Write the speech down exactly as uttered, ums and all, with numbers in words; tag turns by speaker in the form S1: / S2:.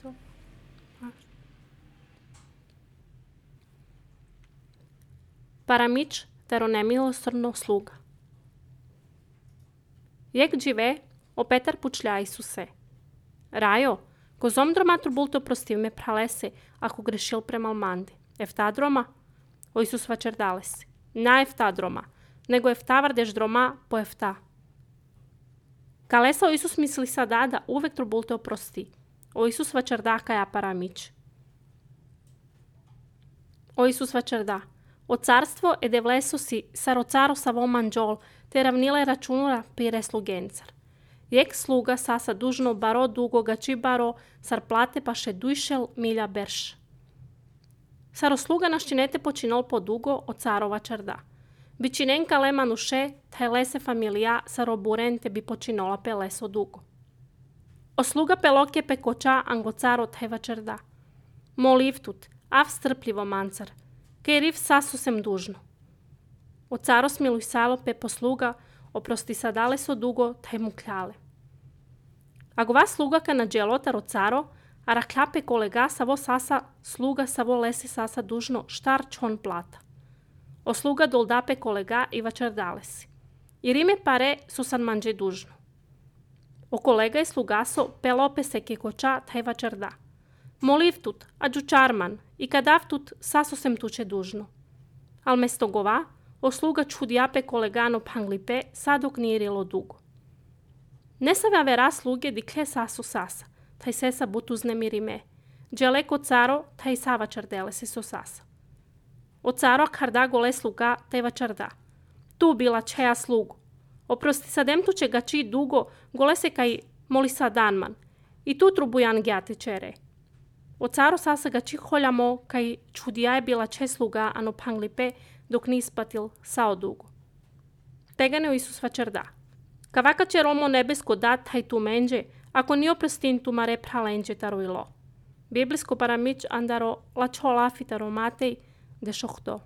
S1: Što? Paramič tero nemilosrdno sluga. Jak džive, o Petar pučlja Isuse. Rajo, kozom dromatru bulto prostiv me pralese, ako grešil premalmandi. Eftadroma? O Isus vačerdales. Na eftadroma, nego eftavardež droma po efta. Kalesa o Isus misli sadada, uvek trubulto prosti. O Isus vačerdaka ja paramič. O Isus vačerda. O carstvo ed evlesosi sarocaro savo manđol, te ravnile računura pire slugencar. Jek sluga sasa dužno baro dugo gači baro, sar plate pa še dujšel milja berš. Saro sluga naščinete počinol po dugo o carova čarda. Bičinenka lema nuše, te lese familija saro burente bi počinola pe leso dugo. O sluga pelokje pe koča ango caro teva čarda. Molivtut, av strpljivo mancar, ke riv sasu sem dužno. O caro smiluj salo pe posluga, oprosti sadale so dugo, te mu kljale. Ako vas sluga ka na dželota ro caro, a raklape kolega savo sasa sluga savo lesi sasa dužno štar čon plata. O sluga doldape kolega i vačardale si. I rime pare su san manđe dužno. O kolega i slugaso pelope se ke koča taj vačarda. Molivtut, a džučarman, i kadavtut saso sem tuče dužno. Al mesto gova, o sluga čudjape kolegano panglipe sadok nirilo dugo. Ne save vera sluge dikle sasu sasa, taj sesa butu znemirime. Dželeko caro, taj sava čardele se so sasa. O caro karda gole sluga, taj vačarda. Tu bila čeja slugu. Oprosti sadem tuče gači dugo, gole se kaj moli sadanman. I tu trubujan gjate čere. O caro sasa gači holjamo, kaj čudija je bila če sluga, ano panglipe, dok ni ispatil sao dugo. Tegane o Isus vačarda. Kavaka će Romo nebesko dat taj tu menđe, ako ni oprostin tu mare pralenđe taro ilo. Biblijsko paramič andaro lačo lafitaro matej de šohto.